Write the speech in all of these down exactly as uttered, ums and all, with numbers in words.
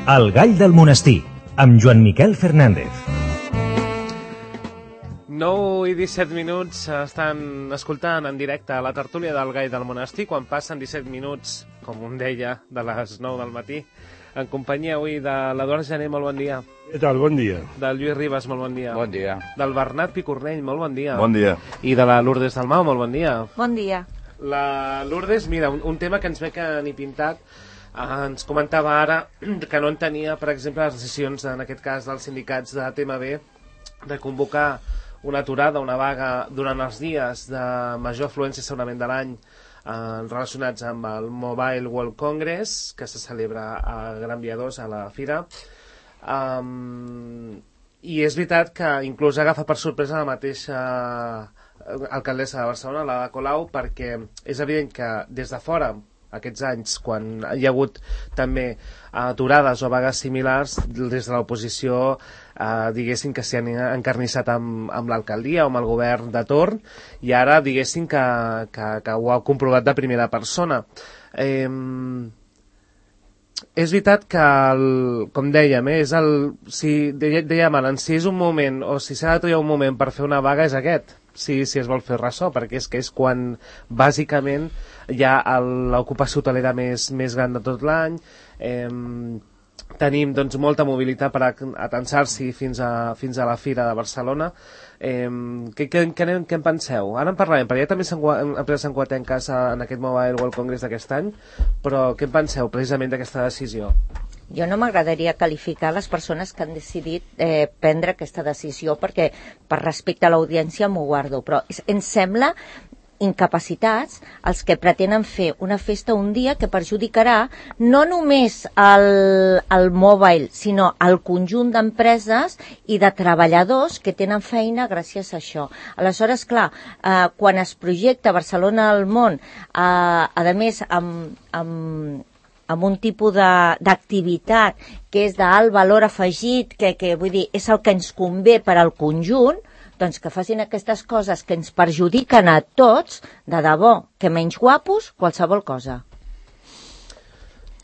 El gall del monestir, amb Joan Miquel Fernández. nou i disset minuts estan escoltant en directe la tertúlia del gall del monestir, quan passen disset minuts, com un deia, de les nou del matí, en companyia avui de l'Eduard Jané, molt bon dia. Què tal? Bon dia. Del Lluís Ribas, molt bon dia. Bon dia. Del Bernat Picornell, molt bon dia. Bon dia. I de la Lourdes Dalmau, molt bon dia. Bon dia. La Lourdes, mira, un, un tema que ens ve que ni pintat, eh, ens comentava ara que no entenia, per exemple, les decisions, en aquest cas, dels sindicats de T M B, de convocar una aturada, una vaga durant els dies de major afluència segurament de l'any, eh, relacionats amb el Mobile World Congress, que se celebra a Gran Via dos, a la Fira. Um, I és veritat que inclús agafa per sorpresa la mateixa alcaldessa de Barcelona, la Colau, perquè és evident que des de fora, aquests anys, quan hi ha hagut també aturades o vagues similars, des de l'oposició eh, diguessin que s'hi han encarnissat amb, amb l'alcaldia o amb el govern de torn, i ara diguessin que, que, que ho ha comprovat de primera persona. Eh, és veritat que, el, com dèiem, eh, és el, si dèiem ara, si és un moment o si s'ha de triar un moment per fer una vaga és aquest, si, si es vol fer ressò, perquè és que és quan bàsicament hi ha l'ocupació hotelera més, més gran de tot l'any. Eh, tenim doncs, molta mobilitat per atensar-s'hi fins, a, fins a la Fira de Barcelona. Eh, què, què, què, què en penseu? Ara en parlarem, perquè ja també s'han empreses enquatenques en aquest Mobile World Congress d'aquest any, però què en penseu precisament d'aquesta decisió? Jo no m'agradaria qualificar les persones que han decidit eh, prendre aquesta decisió, perquè per respecte a l'audiència m'ho guardo, però ens sembla incapacitats els que pretenen fer una festa un dia que perjudicarà no només el, el mobile, sinó el conjunt d'empreses i de treballadors que tenen feina gràcies a això. Aleshores, clar, eh, quan es projecta Barcelona al món, eh, a més amb, amb amb un tipus d'activitat que és d'alt valor afegit, que, que vull dir, és el que ens convé per al conjunt, doncs que facin aquestes coses que ens perjudiquen a tots, de debò, que menys guapos, qualsevol cosa.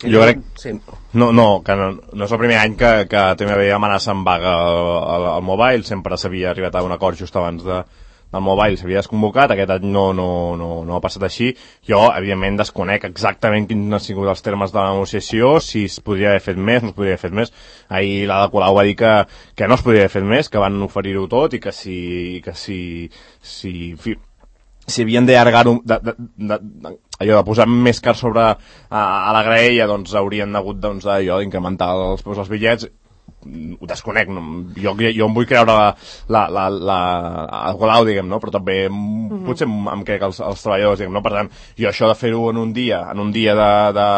Jo crec... Sí. No, no, que no, no és el primer any que, que T M B amenaça amb vaga al, al mobile, sempre s'havia arribat a un acord just abans de del mobile s'havia desconvocat, aquest any no, no, no, no ha passat així. Jo, evidentment, desconec exactament quins han sigut els termes de la negociació, si es podria haver fet més, no es podria haver fet més. Ahir l'Ada Colau va dir que, que no es podria haver fet més, que van oferir-ho tot i que si, que si, si, fi, si havien d'allargar-ho, de, de, de, de, allò de posar més car sobre a, a la graella, doncs haurien hagut doncs, allò d'incrementar els, els bitllets. Ho desconec, no? jo, jo em vull creure la, la, la, la, el Colau, diguem, no? Però també mm-hmm. potser em crec els, els treballadors, diguem, no? Per tant, jo això de fer-ho en un dia, en un dia de, de,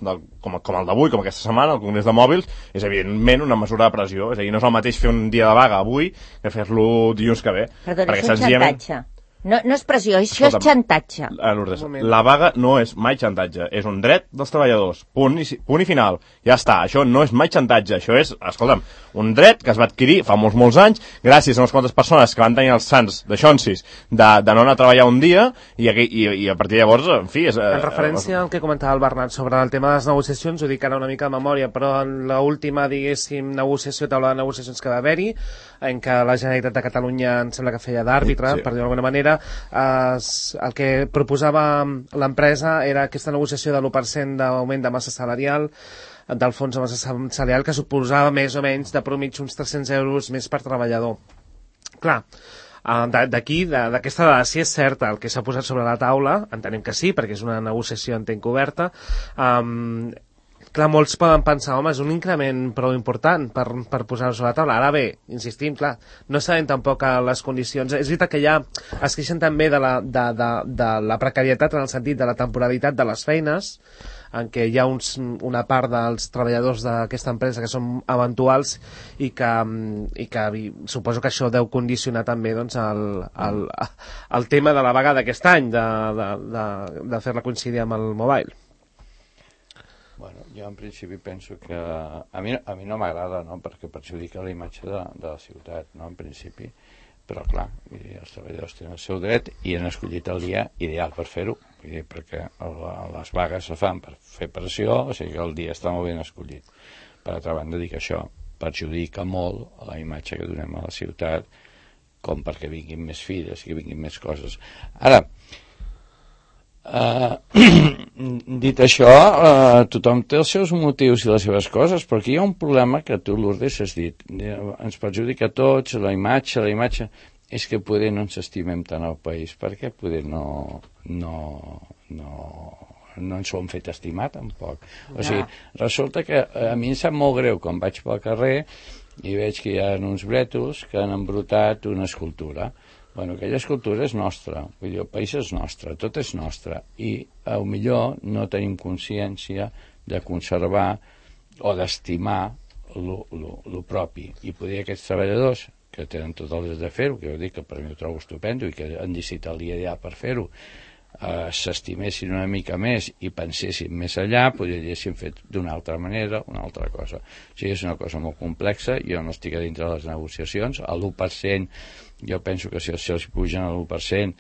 de, com, com el d'avui, com aquesta setmana, el Congrés de Mòbils, és evidentment una mesura de pressió. És a dir, no és el mateix fer un dia de vaga avui que fer-lo dilluns que ve. Perdó, és un senzillament... xantatge. No, no és pressió, això és xantatge. Lourdes, la vaga no és mai xantatge, és un dret dels treballadors, punt i, punt i final, ja està, això no és mai xantatge, això és, escolta'm, un dret que es va adquirir fa molts, molts anys, gràcies a unes quantes persones que van tenir els sants de xonsis de, de no anar a treballar un dia, i, i, i a partir de llavors, en fi... És, en referència al que comentava el Bernat sobre el tema de les negociacions, ho dic ara una mica de memòria, però en l'última, diguéssim, negociació, taula de negociacions que va haver-hi, en què la Generalitat de Catalunya em sembla que feia d'àrbitre, sí, sí. per dir-ho d'alguna manera, eh, el que proposava l'empresa era aquesta negociació de l'u per cent d'augment de massa salarial, del fons de massa salarial, que suposava més o menys de promig uns tres-cents euros més per treballador. Clar, d'aquí, d'aquesta dada, si és certa el que s'ha posat sobre la taula, entenem que sí, perquè és una negociació entenc oberta, um, clar, molts poden pensar, home, és un increment prou important per, per posar-ho sobre la taula. Ara bé, insistim, clar, no sabem tampoc les condicions. És veritat que ja es queixen també de la, de, de, de la precarietat en el sentit de la temporalitat de les feines, en què hi ha uns, una part dels treballadors d'aquesta empresa que són eventuals i que, i que i suposo que això deu condicionar també doncs, el, el, el tema de la vaga d'aquest any, de, de, de, de fer-la coincidir amb el mobile. Bueno, jo en principi penso que a mi, a mi no m'agrada, no? Perquè perjudica la imatge de, de la ciutat, no? En principi, però clar, els treballadors tenen el seu dret i han escollit el dia ideal per fer-ho, perquè les vagues se fan per fer pressió, o sigui que el dia està molt ben escollit. per altra banda dic això, perjudica molt a la imatge que donem a la ciutat, com perquè vinguin més filles, que vinguin més coses. Ara, Uh, dit això, uh, tothom té els seus motius i les seves coses, però aquí hi ha un problema que tu, Lourdes, has dit. Ens perjudica a tots, la imatge, la imatge... És que poder no ens estimem tant al país, perquè poder no, no, no, no ens ho han fet estimar tampoc. O sigui, resulta que a mi em sap molt greu quan vaig pel carrer i veig que hi ha uns brètols que han embrutat una escultura. Bueno, aquella escultura és nostra, vull dir, el país és nostre, tot és nostre, i a lo millor no tenim consciència de conservar o d'estimar el propi, i poder aquests treballadors que tenen tot el dret de fer-ho, que jo dic que per mi ho trobo estupendo i que han decidit el dia per fer-ho, eh, s'estimessin una mica més i pensessin més allà, potser haguessin fet d'una altra manera, una altra cosa. O sigui, és una cosa molt complexa, jo no estic a dintre de les negociacions, a l'u per cent jo penso que si se'ls pugen a l'u per cent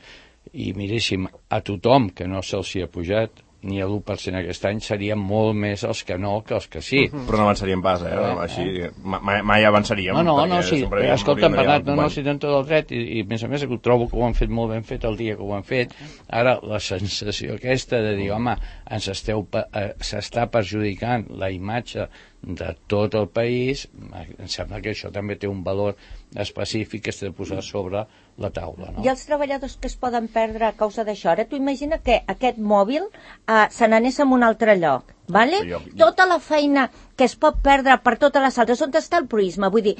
i miréssim a tothom que no se'ls hi ha pujat ni a l'u per cent aquest any, serien molt més els que no que els que sí. Però no avançaríem pas, eh? eh Així, eh? Mai, mai avançaríem. No, no, no, sí. Escolta'm, Bernat, no, no, si tenen tot el dret, i, i a més a més ho trobo que ho han fet molt ben fet el dia que ho han fet. Ara, la sensació aquesta de dir, home, ens esteu, eh, s'està perjudicant la imatge de tot el país, em sembla que això també té un valor específic que s'ha de posar sobre la taula, no? I els treballadors que es poden perdre a causa d'això? Ara tu imagina que aquest mòbil eh, se n'anés a un altre lloc, vale? Jo, jo... tota la feina que es pot perdre per totes les altres, on està el Prisma? Vull dir,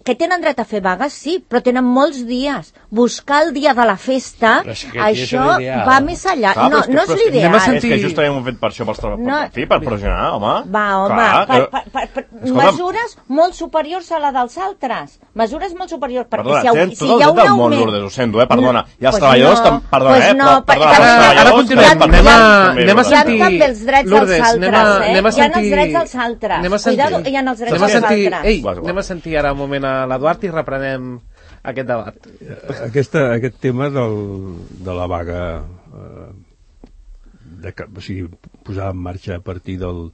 que tenen dret a fer vagues, sí, però tenen molts dies. Buscar el dia de la festa, és això va més allà. Clar, no, és que, no és l'ideal. Sentir... És que justament ho hem fet per això, pels treballadors, no, per, per pressionar, home. Va, home, clar, per, per, per, per, mesures molt superiors a la dels altres. Mesures molt superiors, perquè perdona, si, tenen si tot hi ha el un del món, augment... Lourdes, ho sento, eh, perdona. I els pues treballadors, no, perdona, pues eh, no, però, perdona, ara, els ara continuem, anem a, anem a sentir... Hi ha també els drets Lourdes, dels altres, anem a, eh? anem a sentir... Hi ha els drets dels altres. Anem a sentir... Cuidado, hi ha els drets anem a dels sentir... altres. Ei, anem a sentir ara un moment a l'Eduard i reprenem aquest debat. Aquesta, aquest tema del, de la vaga, eh, de, o sigui, posar en marxa a partir del,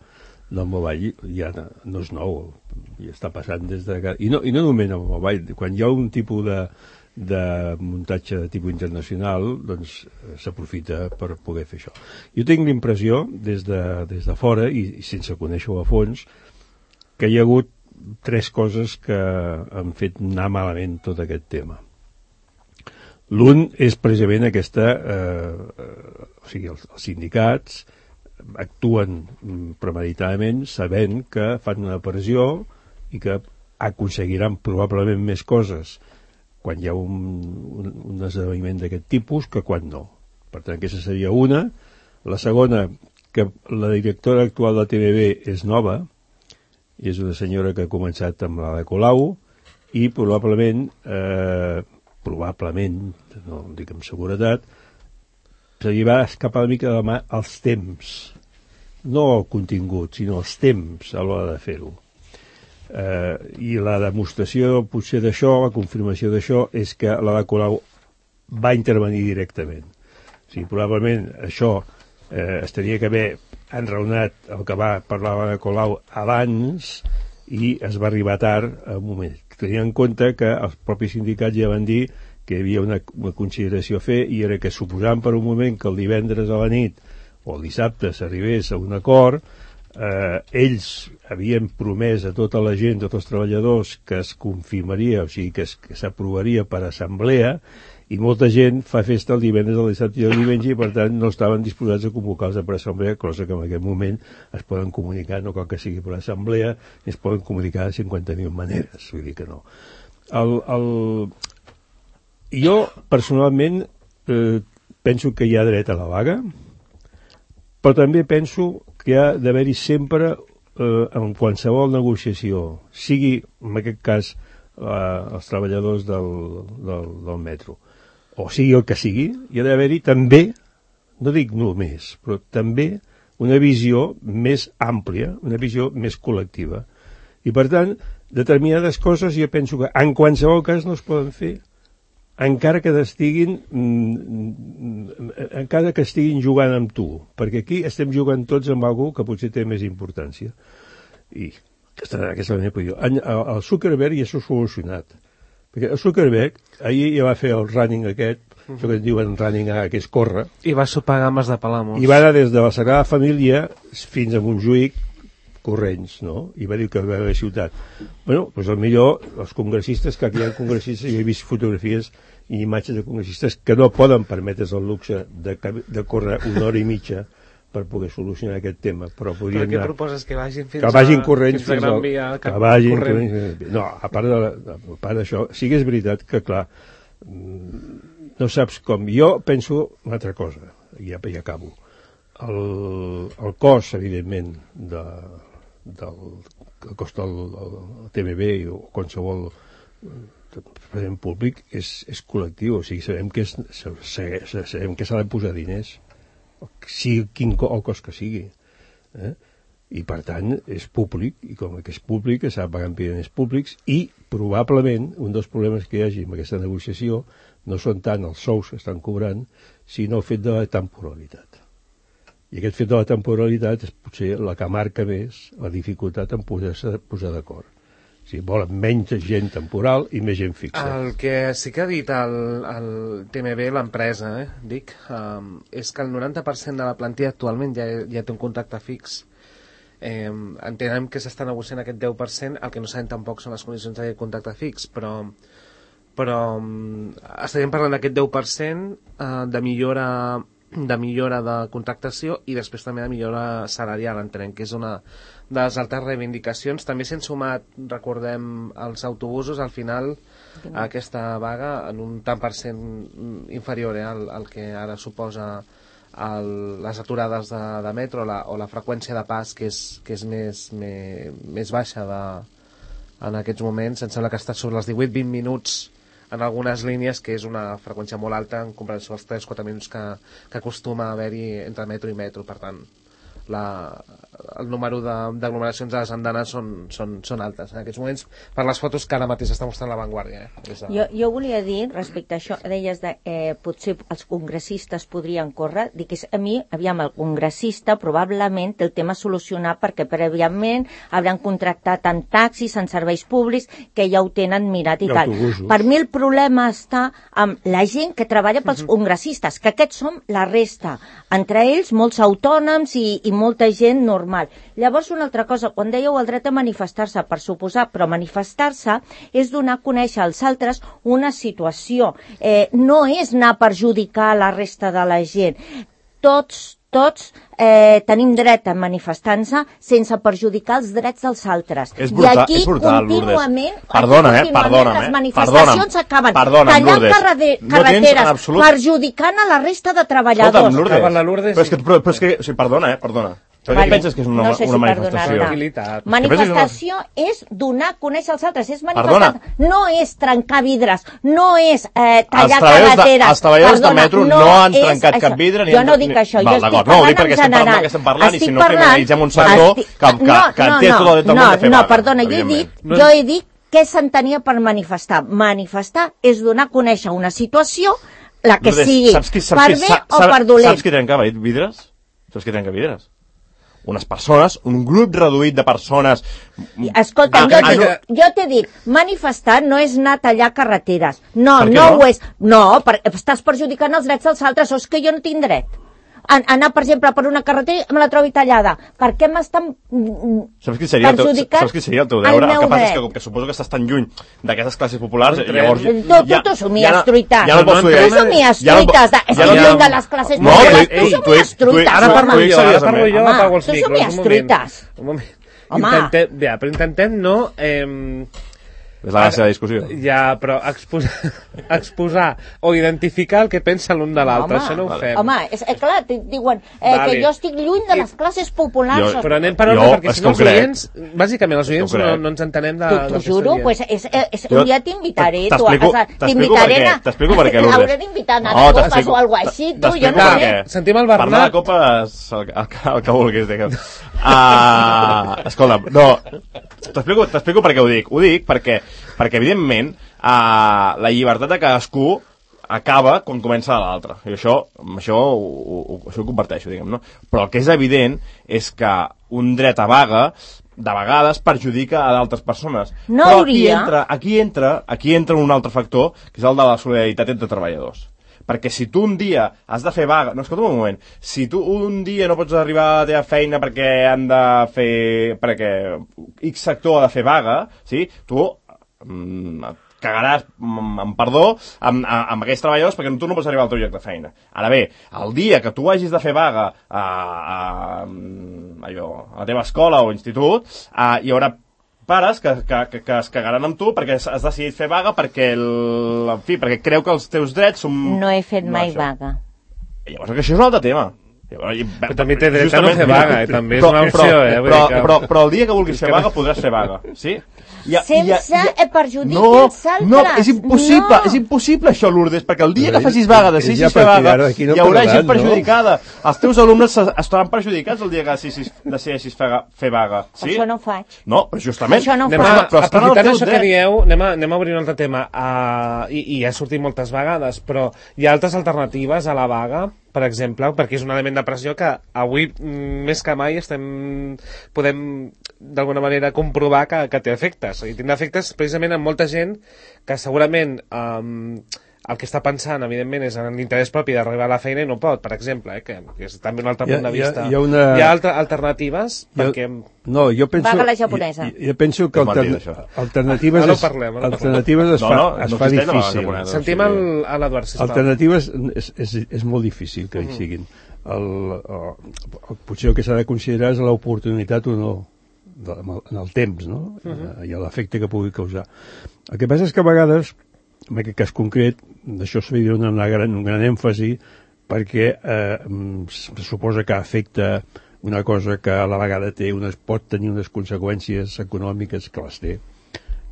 del mobile, ja no és nou, ja està passant des de... I no, i no només el mobile, quan hi ha un tipus de, de muntatge de tipus internacional, doncs s'aprofita per poder fer això. Jo tinc l'impressió, des de, des de fora, i, i sense conèixer-ho a fons, que hi ha hagut tres coses que han fet anar malament tot aquest tema. L'un és precisament aquesta, eh, o sigui, els, els sindicats actuen premeditadament sabent que fan una pressió i que aconseguiran probablement més coses quan hi ha un, un, un esdeveniment d'aquest tipus que quan no. Per tant, aquesta seria una. La segona, que la directora actual de T V B és nova, és una senyora que ha començat amb la de Colau i probablement, eh, probablement, no ho dic amb seguretat, se li va escapar una mica de mà els temps, no el contingut, sinó els temps a l'hora de fer-ho. Eh, I la demostració potser d'això, la confirmació d'això, és que la de Colau va intervenir directament. O sigui, probablement això eh, es tenia que haver enraonat el que va parlar la de Colau abans i es va arribar tard a un moment. Tenint en compte que els propis sindicats ja van dir que hi havia una, una consideració a fer i era que suposant per un moment que el divendres a la nit o el dissabte s'arribés a un acord, eh, ells havien promès a tota la gent, a tots els treballadors, que es confirmaria, o sigui, que, es, que s'aprovaria per assemblea, i molta gent fa festa el divendres, el dissabte i el diumenge i per tant no estaven disposats a convocar-se per assemblea, cosa que en aquest moment es poden comunicar, no cal que sigui per assemblea, es poden comunicar de cinquanta mil maneres, vull dir que no. El, el... Jo, personalment, eh, penso que hi ha dret a la vaga, però també penso que ha d'haver-hi sempre, eh, en qualsevol negociació, sigui, en aquest cas, eh, els treballadors del, del, del metro, o sigui el que sigui, hi ha d'haver-hi també, no dic només, però també una visió més àmplia, una visió més col·lectiva. I per tant, determinades coses jo penso que en qualsevol cas no es poden fer, encara que estiguin encara que estiguin jugant amb tu, perquè aquí estem jugant tots amb alguna que potser té més importància. I Aquesta és la meva opinió. El Zuckerberg ja s'ha solucionat. Perquè el Zuckerberg ahir ja va fer el running aquest, uh-huh. això que en diuen running A, que és córrer. I va sopar gambes de Palamos. I va anar des de la Sagrada Família fins a Montjuïc corrents, no? I va dir que va haver ciutat. Bueno, doncs el millor, els congressistes, que aquí hi ha congressistes, jo he vist fotografies i imatges de congressistes que no poden permetre's el luxe de, de córrer una hora i mitja per poder solucionar aquest tema, però podrien però què anar... proposes? Que vagin fins que vagin a, corrents fins a Gran Via? Que, que vagin corrents... No, a part de, a part d'això, sí que és veritat que, clar, no saps com... Jo penso una altra cosa, i ja, ja acabo. El, el cost, evidentment, de, del que costa el, el T M B o qualsevol present públic és, és col·lectiu, o sigui, sabem que, és, sabem que s'ha de posar diners, sigui quin co el cost que sigui, eh? I per tant és públic, i com que és públic s'ha de pagar amb diners públics, i probablement un dels problemes que hi hagi amb aquesta negociació no són tant els sous que estan cobrant, sinó el fet de la temporalitat. I aquest fet de la temporalitat és potser la que marca més la dificultat en poder-se posar d'acord. O sigui, volen menys gent temporal i més gent fixa. El que sí que ha dit el, el T M B, l'empresa, eh, dic, um, és que el noranta per cent de la plantilla actualment ja, ja té un contracte fix. Eh, entenem que s'està negociant aquest deu per cent, el que no sabem tampoc són les condicions de contracte fix, però, però um, estaríem parlant d'aquest deu per cent uh, de millora de millora de contractació i després també de millora salarial, entenem que és una de les altres reivindicacions. També s'han sumat, recordem, els autobusos al final a aquesta vaga en un tant per cent inferior eh, al, al que ara suposa el, les aturades de, de metro la, o la freqüència de pas que és, que és més, més, més baixa de, en aquests moments. Em sembla que està sobre els divuit vint minuts en algunes línies, que és una freqüència molt alta en comparació als tres quatre minuts que, que acostuma a haver-hi entre metro i metro. Per tant, la, el número d'aglomeracions de, a les andanes són, són, són altes en aquests moments, per les fotos que ara mateix està mostrant La Vanguardia. Eh? De... Jo, jo volia dir, respecte a això, deies de eh, potser els congressistes podrien córrer, dic que a mi, aviam, el congressista probablement té el tema solucionat perquè prèviament hauran contractat en taxis, en serveis públics, que ja ho tenen mirat i tal. Per mi el problema està amb la gent que treballa pels uh-huh. congressistes, que aquests som la resta, entre ells molts autònoms i, i molta gent normal. Llavors, una altra cosa, quan dèieu el dret a manifestar-se, per suposar, però manifestar-se és donar a conèixer als altres una situació. Eh, no és anar a perjudicar la resta de la gent. Tots, tots eh, tenim dret a manifestar-nos sense perjudicar els drets dels altres. És brutal, I aquí és brutal, contínuament, perdona, aquí eh, perdona, les eh, manifestacions perdona'm, acaben perdona'm, tallant Lourdes, carrete no carreteres, absolut... perjudicant a la resta de treballadors. Escolta'm, Lourdes, Acaba la Lourdes, però és que, però, però és que o sigui, perdona, eh, perdona. Però vale. Què penses que és una, no sé si una manifestació? Manifestació és donar a conèixer als altres, és manifestar, no és trencar vidres, no és eh, tallar carreteres. Els treballadors de metro no, no han trencat cap vidre. Jo no dic això, jo estic parlant en general. Estem parlant i si no criminalitzem un sector que té tot el dret del món de fer vaga. No, perdona, jo he dit, jo he dit què s'entenia per manifestar. Manifestar és donar a conèixer una situació, la que sigui, per bé o per dolent. Saps qui trenca vidres? Saps qui trenca vidres? Unes persones, un grup reduït de persones... Escolta, jo, ah, dic, jo t'he dit, manifestar no és anar a tallar carreteres. No, no, no ho és. No, per, estàs perjudicant els drets dels altres, o és que jo no tinc dret. Anar, per exemple, per una carretera i me la trobi tallada. Per què m'estan saps qui seria perjudicant saps qui seria el teu deure? El, el que passa és que, que suposo que estàs tan lluny d'aquestes classes populars... Llavors, tu, tu, tu somies truites. Ja no pots tu somies truites. Estic lluny de les classes populars. Tu somies truites. Ara parlo jo, ara parlo jo, apago els micros. Tu somies truites. Un moment. Intentem, ja, però intentem no... Eh, és la gràcia de la discussió. Ja, però exposar, exposar o identificar el que pensa l'un de l'altre, això no ho vale. fem. Home, és, eh, clar, diuen eh, vale. que jo estic lluny de les classes populars. Jo, però anem per ordre, perquè si no els oients, bàsicament els oients no, no ens entenem de... T'ho juro, pues és, és, un dia t'invitaré, tu. T'explico per què, t'explico per què, Lourdes. Hauré d'invitar a anar a copes o alguna cosa així, tu, jo no sé. Sentim el Bernat. Parlar de copes, el que vulguis, digue'm. Escolta, no, t'explico per què ho dic. Ho dic perquè, perquè evidentment, la llibertat de cadascú acaba quan comença l'altre. I això, això, ho, ho, això ho comparteixo, diguem, no? Però el que és evident és que un dret a vaga de vegades perjudica a d'altres persones. No Però hauria. aquí entra, aquí entra, aquí entra un altre factor, que és el de la solidaritat entre treballadors. Perquè si tu un dia has de fer vaga... No, escolta'm un moment. Si tu un dia no pots arribar a la teva feina perquè han de fer... perquè X sector ha de fer vaga, sí? Tu mm, cagaràs, amb perdó, amb, amb aquests treballadors perquè tu no pots arribar al teu lloc de feina. Ara bé, el dia que tu hagis de fer vaga a, a, allò, a la teva escola o institut, a, hi haurà pares que, que, que, que es cagaran amb tu perquè has decidit fer vaga perquè, el, en fi, perquè creu que els teus drets són... No he fet no, mai això. vaga. I llavors que això és un altre tema. Però també té dret a no fer vaga, eh? També és una opció, però, eh? Però, però, però, però el dia que vulguis fer vaga podràs fer vaga, sí? I ha, sense i ha, i ha... perjudici no, els altres. No, és impossible, no. és impossible això, Lourdes, perquè el dia que facis vaga, decidis fer vaga, no hi haurà gent perjudicada. No? Els teus alumnes estaran perjudicats el dia que decideixis fer vaga, sí? Això no ho faig. No, però justament... Això no ho anem faig. A, però aprofitant això que dieu, anem a, anem a obrir un altre tema, uh, i, i ha sortit moltes vegades, però hi ha altres alternatives a la vaga, per exemple, perquè és un element de pressió que avui més que mai estem, podem d'alguna manera comprovar que, que té efectes. I tindrà efectes precisament en molta gent que segurament um, el que està pensant, evidentment, és en l'interès propi d'arribar a la feina i no pot, per exemple, eh, que, que és també un altre hi ha, punt de vista. Hi ha, hi ha, una... hi ha altre, alternatives? Ha, perquè... No, jo penso... Vaga la japonesa. Jo, jo penso que altern... alternatives, no, no parlem, no alternatives es fa, no, no, es no fa difícil. Japonesa, sentim el, a l'Eduard, sisplau. Alternatives és, és, és molt difícil que hi siguin. El, el, el, potser el que s'ha de considerar és l'oportunitat o no de, en el temps, no? Uh -huh. I l'efecte que pugui causar. El que passa és que a vegades, en aquest cas concret, d'això s'ha de donar una gran, un gran èmfasi perquè eh, se suposa que afecta una cosa que a la vegada té unes, pot tenir unes conseqüències econòmiques que les té.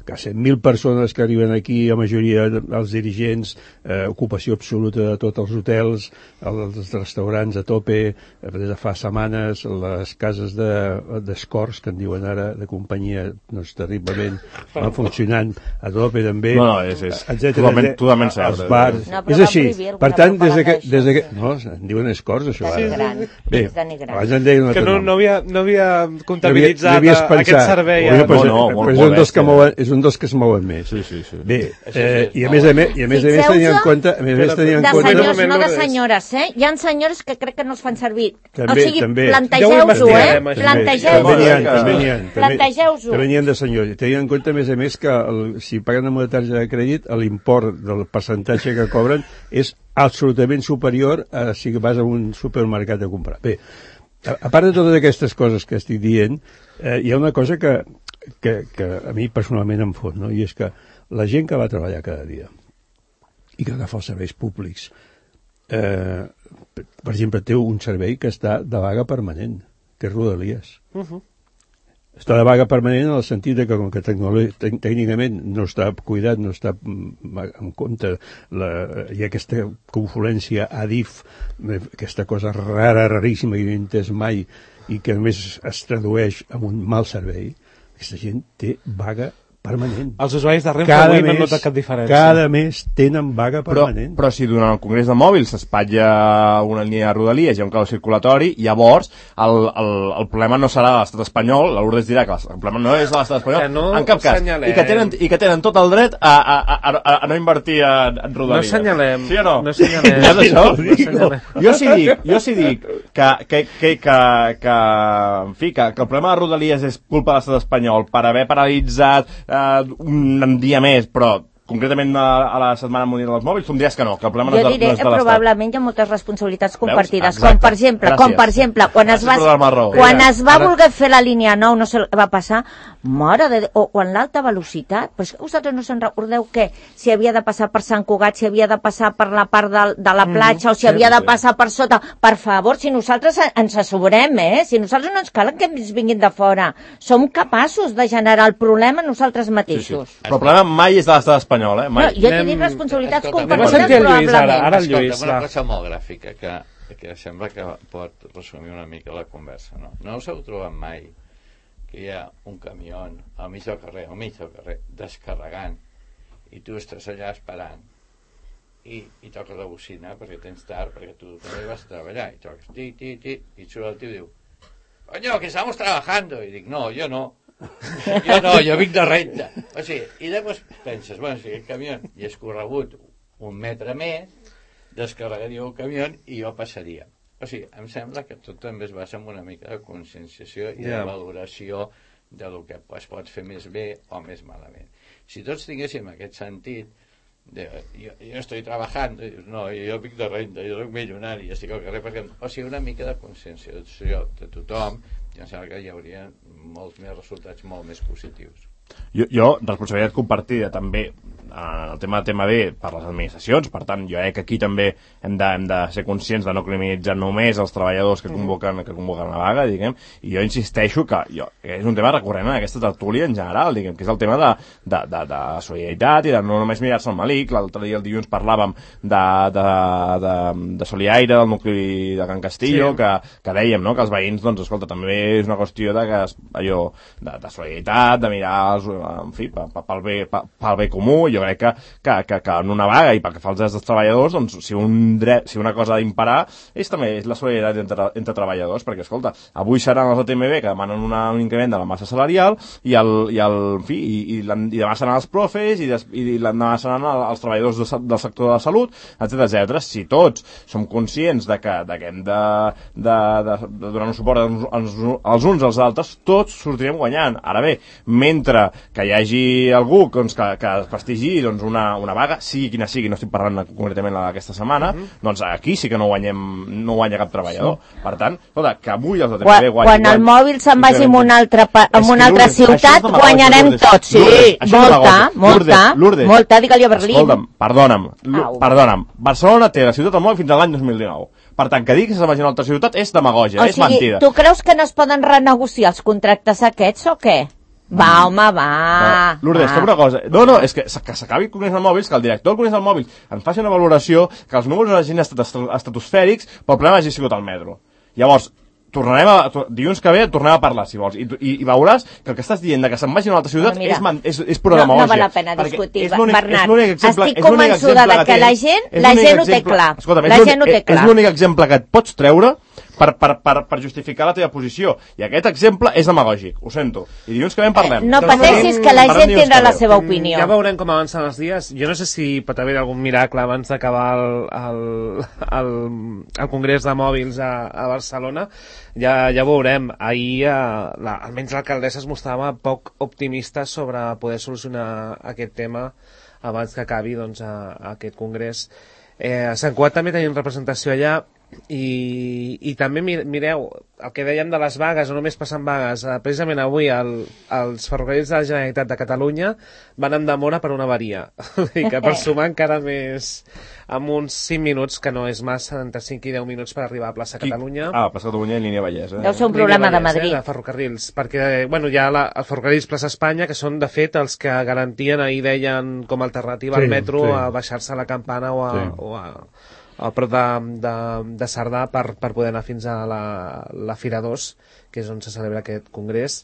Que cent mil persones que arriben aquí, la majoria dels dirigents, eh, ocupació absoluta de tots els hotels, els restaurants a tope, des de fa setmanes, les cases d'escorts, de, que en diuen ara, de companyia, doncs terriblement, van funcionant a tope també, no, no, és, és etcètera, totalment, totalment cert. Els bars, no, és així. Per tant, des de que... Des de que no, en diuen escorts, això. Denigrant. Bé, abans en deien un altre que no, nom. no, havia, no havia comptabilitzat no havia, no aquest servei. Bueno, pues, no, no, pues és un dels que mouen, és un dels que es mouen més. Sí, sí, sí. Bé, eh, i a més a més, i a més a més tenien en compte, a més a més tenien en de compte... senyors, no de senyores, eh? Hi ha senyores que crec que no es fan servir. També, o sigui, també. plantegeu-ho, eh? Plantegeu-ho. També n'hi ha, també n'hi ha. Plantegeu-ho. També n'hi ha de senyors. I tenien en compte, a més a més, que el, si paguen amb una targeta de crèdit, l'import del percentatge que cobren és absolutament superior a si vas a un supermercat a comprar. Bé, a, a part de totes aquestes coses que estic dient, eh, hi ha una cosa que, que, que a mi personalment em fot, no? I és que la gent que va a treballar cada dia i que agafa els serveis públics, eh, per exemple, té un servei que està de vaga permanent, que és Rodalies. Uh -huh. Està de vaga permanent en el sentit de que, com que tècnicament no està cuidat, no està en compte, la, hi ha aquesta confluència A D I F, aquesta cosa rara, raríssima, que no he entès mai, i que només es tradueix en un mal servei, aquesta gent té vaga permanent. Els usuaris de Renfe avui no han notat cap diferència. Cada mes tenen vaga permanent. Però, però si durant el Congrés de Mòbils s'espatlla una línia de Rodalies i un clau circulatori, llavors el, el, el problema no serà de l'estat espanyol, la Lourdes dirà que el problema no és de l'estat espanyol, no en cap cas, i que, tenen, i que tenen tot el dret a, a, a, a, a no invertir en, en Rodalies. No assenyalem. Sí o no? No assenyalem. Ja és això? No, jo sí dic, jo sí dic que, que, que, que, que, en fi, que, que el problema de Rodalies és culpa de l'estat espanyol per haver paralitzat eh, un un dia més, però concretament a, a la Setmana Mundial dels Mòbils, tu em diràs que no, que el problema jo no és de, diré, no és de l'Estat. Probablement hi ha moltes responsabilitats compartides, Exacte. com per exemple, com per exemple quan es va, quan es va voler fer la línia nou, no sé què va passar, mare de, o, o en l'alta velocitat, però és que vosaltres no se'n recordeu què? Si havia de passar per Sant Cugat, si havia de passar per la part de, de la platja, mm, o si havia de passar per sota, per favor, si nosaltres ens asseurem, eh? Si nosaltres no ens cal que ens vinguin de fora, som capaços de generar el problema nosaltres mateixos. Sí, sí. Però el problema mai és de l'estat espanyol, eh? Mai. No, jo tinc responsabilitats Escolta, compartides, probablement. Ara, ara el Escolta, Lluís, una va. cosa molt gràfica que, que sembla que pot resumir una mica la conversa, no? No us heu trobat mai que hi ha un camió al mig del carrer, al mig del carrer, descarregant, i tu estàs allà esperant, i, i toques la bocina perquè tens tard, perquè tu també vas a treballar, i toques ti, ti, ti, i surt el tio i diu, coño, que estamos trabajando, i dic, no, jo no, jo no, jo vinc de renta. O sigui, i després penses, bueno, si aquest camió hi és corregut un metre més, descarregaria el camió i jo passaria. O sigui, em sembla que tot també es basa en una mica de conscienciació i yeah. de valoració del que es pot fer més bé o més malament. Si tots tinguéssim aquest sentit, de, jo, jo estoy trabajando, i dius, no, jo vinc de renta, jo soc milionari, estic al carrer, perquè, o sigui, una mica de conscienciació de tothom, i em sembla que hi hauria molts més resultats molt més positius. Jo, jo responsabilitat compartida també en el tema de tema B per les administracions, per tant jo crec que aquí també hem de, hem de ser conscients de no criminalitzar només els treballadors que convoquen, que convoquen la vaga, diguem, i jo insisteixo que, jo, que és un tema recurrent en aquesta tertúlia en general, diguem, que és el tema de, de, de, de solidaritat i de no només mirar-se el malic. L'altre dia el dilluns parlàvem de, de, de, de Soliaire, del nucli de Can Castillo, sí. que, que dèiem, no?, que els veïns, doncs, escolta, també és una qüestió de que allò, de, de solidaritat, de mirar els, en fi, pel bé, pel bé comú. Jo crec que, que, que, que en una vaga i pel que fa als drets dels treballadors, doncs, si, un dret, si una cosa ha d'imperar és també és la solidaritat entre, entre treballadors, perquè, escolta, avui seran els O T M B que demanen una, un increment de la massa salarial i, el, i, el, en fi, i, i, i demà seran els profes i, des, i l'endemà seran els treballadors de, del sector de la salut, etcètera etcètera. Si tots som conscients de que, de que hem de, de, de, de donar un suport als, als uns als altres, tots sortirem guanyant. Ara bé, mentre que hi hagi algú doncs, que, que prestigi doncs, una, una vaga, sigui quina sigui, no estic parlant concretament d'aquesta setmana, mm -hmm. doncs aquí sí que no guanyem, no guanya cap treballador. Sí. Per tant, escolta, que avui els O T M B guanyin... Quan el mòbil se'n vagi en una altra, en una altra ciutat, guanyarem tots. Sí, molta, molta, molta, digue-li a Berlín. Escolta'm, perdona'm, perdona'm, Barcelona té la ciutat del mòbil fins a l'any dos mil dinou. Per tant, que diguis que se'n vagi a una altra ciutat és demagògia, és mentida. Tu creus que no es poden renegociar els contractes aquests o què? Va, home, va. Lourdes, que una cosa... No, no, és que, que s'acabi el Congrés del Mòbils, que el director del Congrés del Mòbils en faci una valoració, que els números hagin estat estratosfèrics, però el problema hagi sigut el metro. Llavors, tornarem a, dilluns que ve tornem a parlar, si vols, i, i, i veuràs que el que estàs dient de que se'n vagi a una altra ciutat no, és, man, és, és pura no, demagògia. No val la pena discutir, Bernat. Exemple, estic convençuda de que la gent, la gent ho té clar. Escolta'm, la gent ho té clar. És l'únic exemple que et pots treure per, per, per, per justificar la teva posició. I aquest exemple és demagògic, ho sento. I dilluns que ve en parlem. Eh, no pateixis que la gent tindrà la seva opinió. Ja veurem com avancen els dies. Jo no sé si pot haver algun miracle abans d'acabar el, el, el, el Congrés de Mòbils a, a Barcelona. Ja, ja veurem. Ahir, eh, la, almenys l'alcaldessa es mostrava poc optimista sobre poder solucionar aquest tema abans que acabi doncs, a, a aquest congrés. Eh, a Sant Cugat també tenim representació allà i, i també mireu el que dèiem de les vagues, no només passen vagues, eh, precisament avui el, els ferrocarrils de la Generalitat de Catalunya van en demora per una avaria i que per sumar encara més amb uns cinc minuts, que no és massa, entre cinc i deu minuts per arribar a plaça Catalunya. Ah, plaça Catalunya i línia Vallès, eh? Deu ser un problema Vallès, de Madrid. Eh, de ferrocarrils, perquè, bueno, hi ha la, els ferrocarrils plaça Espanya, que són, de fet, els que garantien, ahir deien, com a alternativa sí, al metro, sí. a baixar-se a la Campana o a... Sí. O a a prop de, de, de Cerdà per, per poder anar fins a la, la Fira dos, que és on se celebra aquest congrés.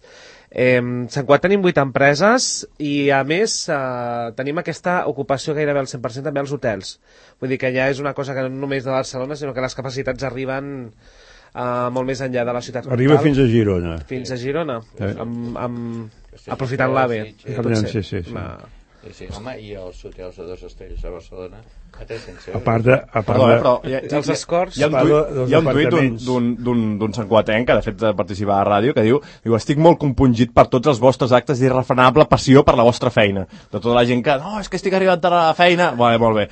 Eh, Sant Cugat tenim vuit empreses i, a més, eh, tenim aquesta ocupació gairebé al cent per cent també als hotels. Vull dir que ja és una cosa que no només de Barcelona, sinó que les capacitats arriben eh, molt més enllà de la ciutat comtal. Arriba fins a Girona. Fins a Girona, eh. amb, amb, aprofitant l'AVE. Sí, sí, sí. Va. Sí, sí, home, i els hotels de dos estrelles a Barcelona a tres-cents euros. A part de... A part Perdó, de... eh, però hi ha, els escorts... Hi ha un tuit, hi ha un tuit d'un santcuatenc que de fet participa a la ràdio que diu, diu estic molt compungit per tots els vostres actes d'irrefrenable passió per la vostra feina. De tota la gent que, no, és que estic arribant tard a la feina... Vale, molt bé.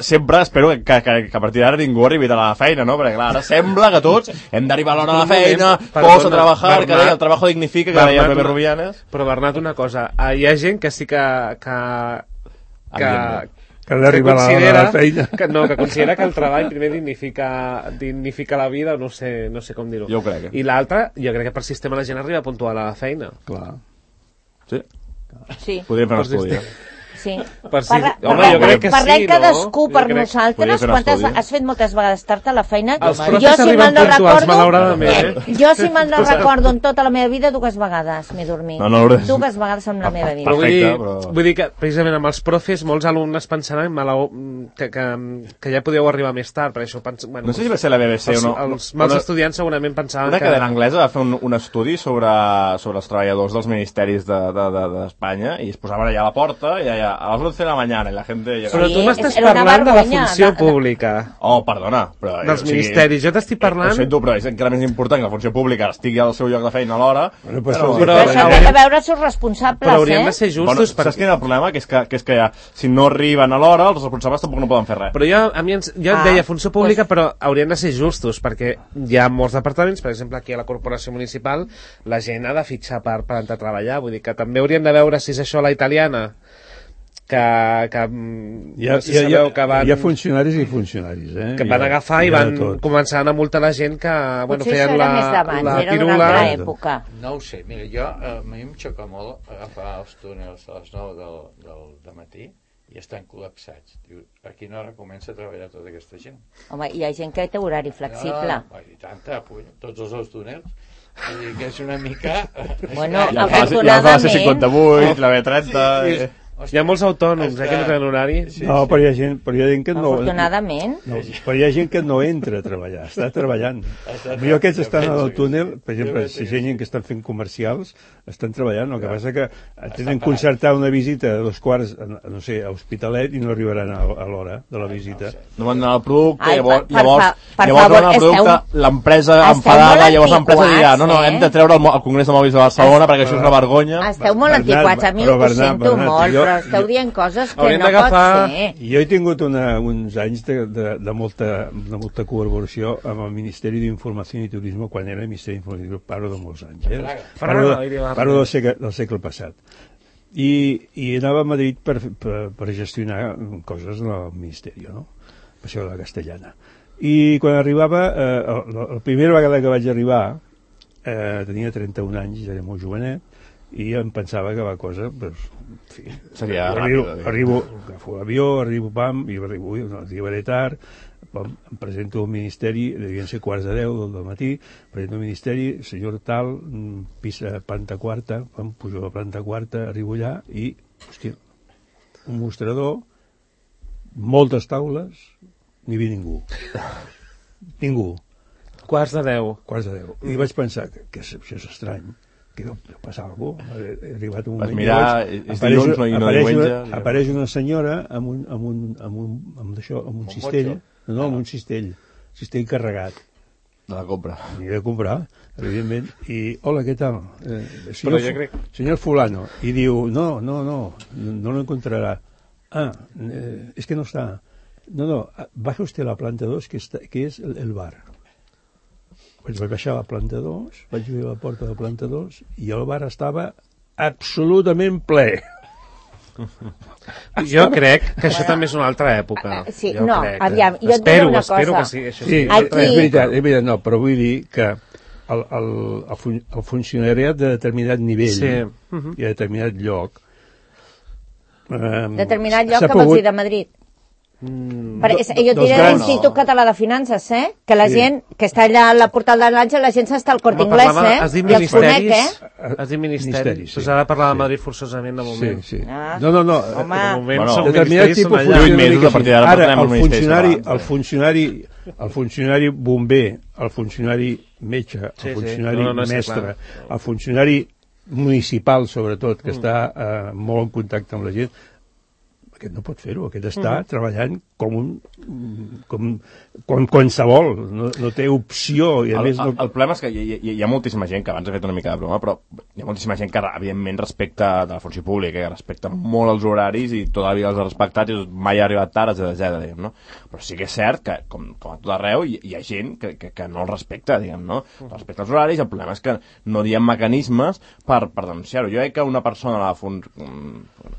Sempre espero que, que, que a partir d'ara ningú arribi a la feina, no? Perquè clar, ara sembla que tots hem d'arribar a l'hora de la feina, posa a treballar, que deia el treballo dignifica, que deia Pepe Rubianes. Però Bernat, una cosa, hi ha gent que sí que... que que, que d'arribar a la feina que, no, que considera que el treball primer dignifica, dignifica la vida, no sé, no sé com dir-ho. Jo ho crec. I l'altre, jo crec que per sistema la gent arriba puntual a la feina. Clar. Sí? Sí. Podríem fer un estudi. sí. Per si... Parla, Home, parlem, jo crec que parlem sí, cadascú no? per Jo crec- nosaltres. Podria fer un Quantes, estudi. has fet moltes vegades tard a la feina. Els Jo, profes si arriben mal no puntuals, recordo, malauradament, eh? jo, si mal no recordo, en tota la meva vida, dues vegades m'he dormit. No, no, no. Dues vegades en la meva vida. Però vull, dir, Perfecte, però- vull dir que, precisament, amb els profes, molts alumnes pensaran malau, que, que, que ja podeu arribar més tard, per això pens... bueno, No sé si va ser la B B C els, o no. els mals Una- estudiants segurament pensaven Una que... cadena anglesa va fer un, un estudi sobre, sobre els treballadors dels ministeris d'Espanya de, de, de, i es posaven allà a la porta i allà a les once de la mañana i la gent llegava. Però Sí, tu m'estàs era una parlant de la vergonya, funció de- de- pública, Oh, perdona. Però, dels o sigui, ministeris. Jo t'estic Ho parlant... sento, però és encara més important que la funció pública estigui al seu lloc de feina a l'hora. Bueno, pues, Però- però- Però això té de veure els seus responsables, Però haurien eh? de ser Bueno, justos... saps perquè... quin és el problema? Que és que, que, és que ja, si no arriben a l'hora, els responsables tampoc no poden fer res. Però jo, a mi ens, jo Ah, et deia funció pública, però haurien de ser justos, perquè hi ha molts departaments, per exemple, aquí a la corporació municipal, la gent ha de fitxar per, per entrar a treballar, vull dir que també haurien de veure si és això la italiana, que, que Hi ha, no sé hi, ha, si hi, sabeu ha, que van, hi ha funcionaris i funcionaris, eh? que Hi van ha- agafar i hi ha de van tot. començar a multar la gent que bueno, Potser feien això la, era més d'abans, la era d'una pirula. altra època. No ho sé, mira, jo, eh, a mi em xoca molt agafar els túnels a les nou del, del, del matí i estan col·lapsats. Diu, a quina hora comença a treballar tota aquesta gent? Home, hi ha gent que té horari flexible. No, I tanta, puny, tots els dos túnels. Vull dir que és una mica... Bueno, Ja fa, ja fa la C cinquanta-vuit, la B trenta... Sí, eh. Hi ha molts autònoms eh, que no tenen horari. Sí, No, però hi ha gent, però hi ha gent que no... Afortunadament. No, però hi ha gent que no entra a treballar, està treballant. Millor aquests estan al túnel, per exemple, si hi ha gent que estan fent comercials, estan treballant, el que passa que tenen concertar una visita a dos quarts, no sé, a Hospitalet i no arribaran a, a l'hora de la visita. No van donar el producte, Ai, llavors, per- per llavors, fa- per llavors favor, donen el producte, esteu- l'empresa esteu enfadada, molt llavors l'empresa dirà, no, no, antiquats, hem de eh? treure el, mo- el Congrés de Mòbils de Barcelona perquè això és una vergonya. Esteu molt Bernat, antiquats, a mi però ho Bernat, sento Bernat, molt, jo- però esteu jo- dient coses que Haurien no pot d'agafar- ser. Jo he tingut una, uns anys de, de, de, molta, de molta col·laboració amb el Ministeri d'Informació i Turisme quan era Ministeri d'Informació i Turisme, parlo de molts anys. Eh? Parlo, de, parlo del, segle, del segle passat. I, I anava a Madrid per, per, per gestionar coses del Ministeri, no? Passió de la Castellana. I quan arribava, eh, la, la primera vegada que vaig arribar, eh, tenia trenta-un anys, era molt jovenet, i em pensava que la cosa, pues, en fi, Seria arribo, ràpida, arribo, agafo l'avió, arribo, pam, i arribo, ui, no, arribaré tard, pam, em presento al Ministeri, devien ser quarts de deu del matí, presento al Ministeri, senyor tal, mm, pisa planta quarta, pam, pujo a la planta quarta, arribo allà i, hòstia, un mostrador, moltes taules, n'hi havia ningú. Ningú. Quarts de deu. Quarts de deu. I vaig pensar que, que això és estrany, que deu passar alguna cosa. He arribat un Vas moment... mirar, i és apareix, dilluns, no- i no apareix, diumenge. una, apareix una senyora amb un, amb un, amb un, amb això, amb un Un cistell, motxo. no, no, amb un cistell, cistell carregat. De la compra. N'hi he de comprar, evidentment, i hola, què tal? Eh, Però senyor, jo Fu- crec- senyor fulano, i diu, no, no, no, no lo encontrará. Ah, eh, es que no está. No, no, baja usted a la planta dos, que, está, que es el, el bar. Pues vaig baixar a la planta dos, vaig obrir la porta de la planta dos, i el bar estava absolutament ple. Jo crec que això també és una altra època. Sí, jo no, crec. aviam, jo et diré espero, una espero cosa. que sigui això. Sí, Sí, Aquí- és veritat, és veritat, no, però vull dir que el, el, el, fun el funcionariat de determinat nivell Sí. i a determinat lloc eh, Determinat lloc s'ha que vols pogut- dir de Madrid. Mm, Perquè do- jo et dels diré grans- l'Institut Català de Finances, eh? Que la Sí. gent que està allà a la portal de l'Àngel, la gent s'està al Corte Home, Inglés, parlava- eh? has dit I els conec, ministeris, eh? has dit ministeris, Ministeris, sí. doncs ara parlar de Sí. Madrid forçosament de Sí, moment. sí. Ah. No, no, no. Home. De moment Bueno, són Determinat ministeris, tipus són de allà. Vuit mesos, a partir d'ara Ara, parlem el amb els ministeris funcionari, catalans, el eh? funcionari, el funcionari bomber, el funcionari metge, el Sí, sí. funcionari No, no, no, sí, mestre, clar. el funcionari municipal, sobretot, que està eh, molt en contacte amb la gent, aquest no pot fer-ho, aquest està Mm. treballant com un com, com qualsevol, no, no té opció i a El, més el, no... el problema és que hi, hi, hi ha moltíssima gent que abans he fet una mica de broma, però hi ha moltíssima gent que evidentment respecta de la funció pública, que respecta molt els horaris i tota la vida els ha respectat i mai ha arribat tard, etcètera, diguem, no? Però sí que és cert que, com, com a tot arreu, hi, hi ha gent que, que, que no els respecta, diguem, no? Respecta els horaris, el problema és que no hi ha mecanismes per, per denunciar-ho. Jo crec que una persona de la fun...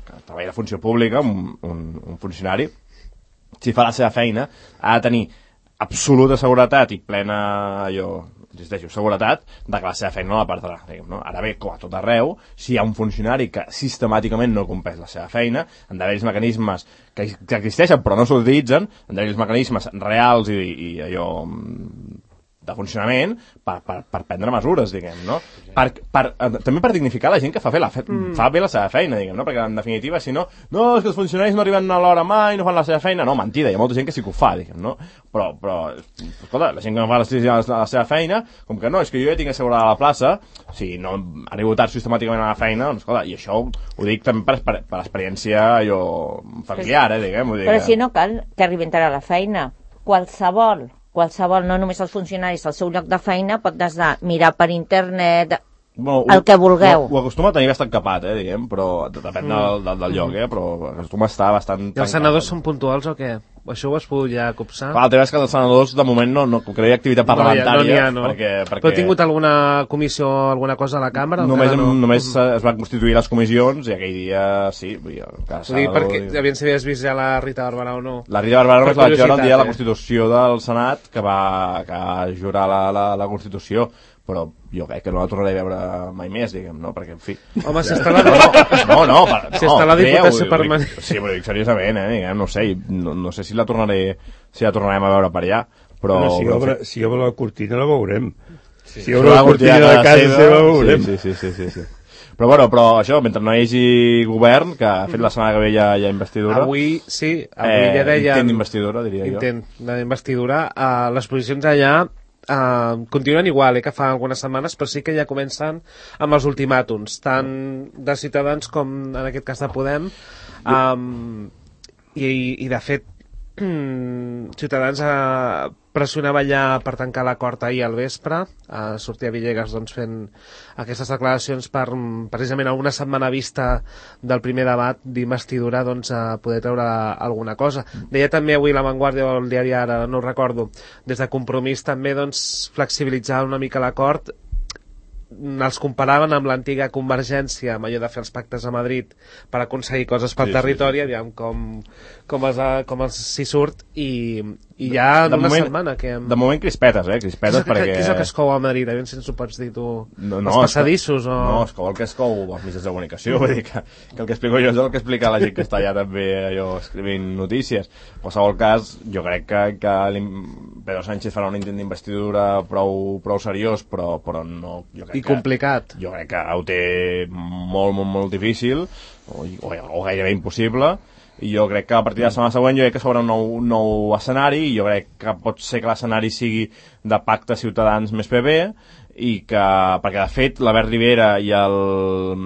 que treballa a funció pública, un, un, un funcionari, si fa la seva feina, ha de tenir absoluta seguretat i plena allò, insisteixo, seguretat de que la seva feina no la perdrà, diguem, no? Ara bé, com a tot arreu, si hi ha un funcionari que sistemàticament no compleix la seva feina, han d'haver els mecanismes que, que existeixen però no s'utilitzen, han d'haver els mecanismes reals i, i allò de funcionament per, per, per prendre mesures, diguem, no? Per, per, també per dignificar la gent que fa, fer la fe, mm. fa bé la seva feina, diguem, no? Perquè en definitiva, si no, no, és que els funcionaris no arriben a l'hora mai, no fan la seva feina, no, mentida, hi ha molta gent que sí que ho fa, diguem, no? Però, però escolta, la gent que no fa la, la seva feina, com que no, és que jo ja tinc assegurada la plaça, si no arribo tard sistemàticament a la feina, doncs escolta, i això ho, ho dic també per, per, per experiència allò familiar, eh, diguem. Vull dir però que... si no cal que arribin tard a la feina, qualsevol qualsevol, no només els funcionaris, al seu lloc de feina pot des de mirar per internet, bueno, el que vulgueu. Ho, ho acostuma a tenir bastant capat, eh, diguem, però depèn mm. del, del, del lloc, eh, però acostuma a estar bastant... I els senadors són puntuals o què? Això ho has pogut ja copsar? Clar, el tema és que els senadors, de moment, no, no que no hi ha activitat parlamentària. No, ja, no, no. Perquè, perquè... Però ha tingut alguna comissió, alguna cosa a la càmera? Només, no? només es van constituir les comissions i aquell dia, sí... Vull dir, vull dir, perquè aviam si havies vist ja la Rita Barberà o no. La Rita Barberà només la vaig veure el dia de la Constitució del Senat, que va, que va jurar la, la, la Constitució, però jo crec que no la tornaré a veure mai més, diguem, no? Perquè, en fi... Home, si està la... No, no, per, no, si està la diputació permanent... Sí, però dic seriosament, eh, diguem, no sé, no, no sé si la tornaré, si la tornarem a veure per allà, però... Bueno, si, obre, si obre la cortina la veurem. Sí. Si obre la cortina de casa seva, seva la veurem. Sí, sí, sí, sí, sí. Però bueno, però això, mentre no hi hagi govern, que ha fet la setmana que ve ja, ja investidura... Avui, sí, avui eh, ja deia... Intent d'investidura, diria intent jo. Intent d'investidura. Uh, les posicions allà Uh, continuen igual, eh, que fa algunes setmanes, però sí que ja comencen amb els ultimàtums, tant de Ciutadans com en aquest cas de Podem, um, i, i de fet Ciutadans uh, pressionava ja per tancar l'acord ahir al vespre, uh, sortia Villegas doncs, fent aquestes declaracions per precisament a una setmana vista del primer debat d'investidura doncs, a poder treure alguna cosa. Deia també avui La Vanguardia o el diari Ara, no ho recordo, des de Compromís també doncs, flexibilitzar una mica l'acord, els comparaven amb l'antiga Convergència, amb allò de fer els pactes a Madrid per aconseguir coses pel sí, territori, sí, sí. Aviam com, com, els, com els s'hi surt, i, i ja en una moment, setmana que... Hem... De moment crispetes, eh? Crispetes què, perquè... Què és el que es cou a Madrid? Aviam si ens ho pots dir tu. No, no, els passadissos o... No, es cou el que es cou als mitjans de comunicació, vull dir que, que el que explico jo és el que explica la gent que està allà també allò, escrivint notícies. En qualsevol cas, jo crec que, que Pedro Sánchez farà un intent d'investidura prou, prou seriós, però, però no... Jo crec I complicat. Que, jo crec que ho té molt, molt, molt difícil, o, o, o gairebé impossible, i jo crec que a partir de la setmana següent jo crec que s'obre un nou, un nou escenari, i jo crec que pot ser que l'escenari sigui de pacte Ciutadans més P B, i que, perquè de fet l'Albert Rivera i el,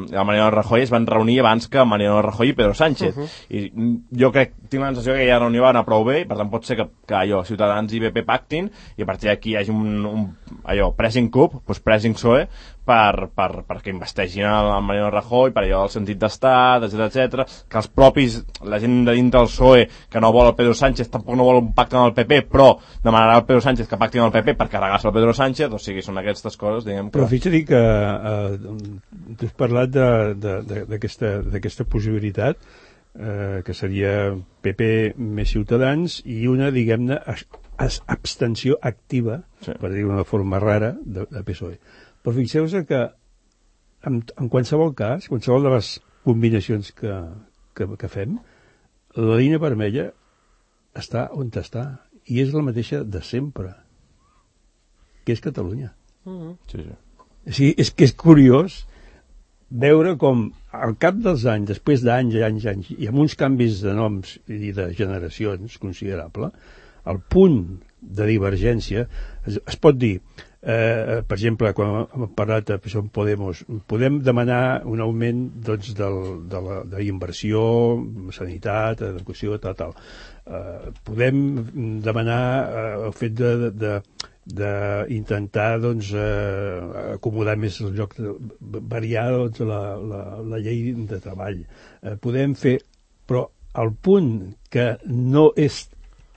el Mariano Rajoy es van reunir abans que Mariano Rajoy i Pedro Sánchez, uh -huh. i jo crec, tinc la sensació que aquella reunió va anar prou bé, per tant pot ser que, que allò, Ciutadans i B P pactin, i a partir d'aquí hi hagi un, un allò, pressing cup, doncs pressing P S O E, per, per, perquè investegin el Mariano Rajoy, per allò del sentit d'estat, etcètera, etcètera, que els propis, la gent de dintre del P S O E, que no vol el Pedro Sánchez, tampoc no vol un pacte amb el P P, però demanarà al Pedro Sánchez que pacti amb el P P per carregar-se el Pedro Sánchez, o sigui, són aquestes coses, diguem que... Però fixa-t'hi que eh, tu has parlat d'aquesta possibilitat, eh, que seria P P més Ciutadans, i una, diguem-ne, abstenció activa, sí, per dir-ho d'una forma rara, de, de P S O E. Però fixeu-vos que en, en qualsevol cas, qualsevol de les combinacions que, que, que fem, la línia vermella està on està, i és la mateixa de sempre, que és Catalunya. Mm-hmm. Sí, sí. Sí, és que és curiós veure com al cap dels anys, després d'anys i anys, anys, i amb uns canvis de noms i de generacions considerable, el punt de divergència es, es pot dir, eh, per exemple, quan hem parlat de Podemos, podem demanar un augment doncs, del, de la d'inversió, sanitat, educació, tal, tal. Eh, podem demanar eh, el fet de, de d'intentar doncs, eh, acomodar més el lloc, de, variar doncs, la, la, la llei de treball. Eh, podem fer, però el punt que no és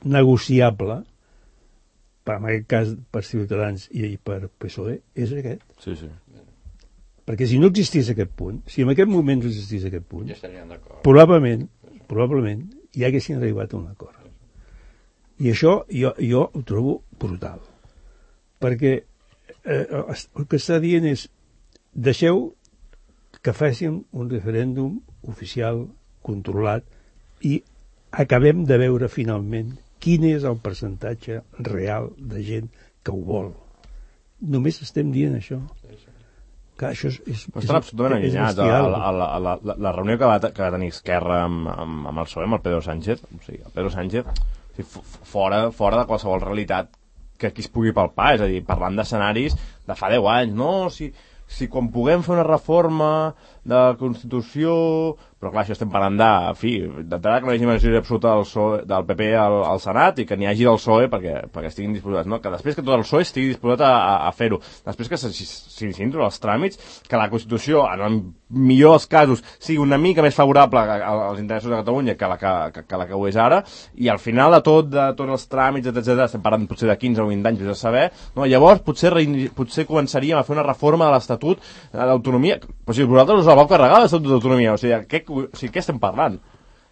negociable, per, en aquest cas per Ciutadans i per P S O E, és aquest. Sí, sí. Perquè si no existís aquest punt, si en aquest moment no existís aquest punt, ja estaríem d'acord. Probablement, probablement ja haguessin arribat a un acord. I això jo, jo ho trobo brutal. Perquè eh, el que està dient és deixeu que facin un referèndum oficial, controlat, i acabem de veure finalment quin és el percentatge real de gent que ho vol. Només estem dient això. Que això és, és, Però estan absolutament allunyats. A la, a la, a la, la, la reunió que va, que va tenir Esquerra amb, amb, amb el P S O E, amb el Pedro Sánchez, o sigui, el Pedro Sánchez, o sigui, fora, fora de qualsevol realitat que aquí es pugui palpar, és a dir, parlant d'escenaris de fa deu anys, no? Si, si quan puguem fer una reforma de la Constitució... Però clar, això estem parlant de, en fi, d'entrada que no hi hagi majoria absoluta del, P S O E, del P P al, al Senat i que n'hi hagi del P S O E perquè, perquè estiguin disposats, no? Que després que tot el P S O E estigui disposat a, a, a fer-ho. Després que s'iniciïn tots els tràmits, que la Constitució, en el millor dels casos, sigui una mica més favorable als interessos de Catalunya que la que, que, que, la que ho és ara, i al final de tot, de tots els tràmits, etcètera, estem parlant potser de quinze o vint anys, vés a saber, no? Llavors potser, potser començaríem a fer una reforma de l'Estatut d'autonomia. Però si vosaltres us la vau carregar, l'Estatut d'autonomia, o sigui, què, o sigui, què estem parlant?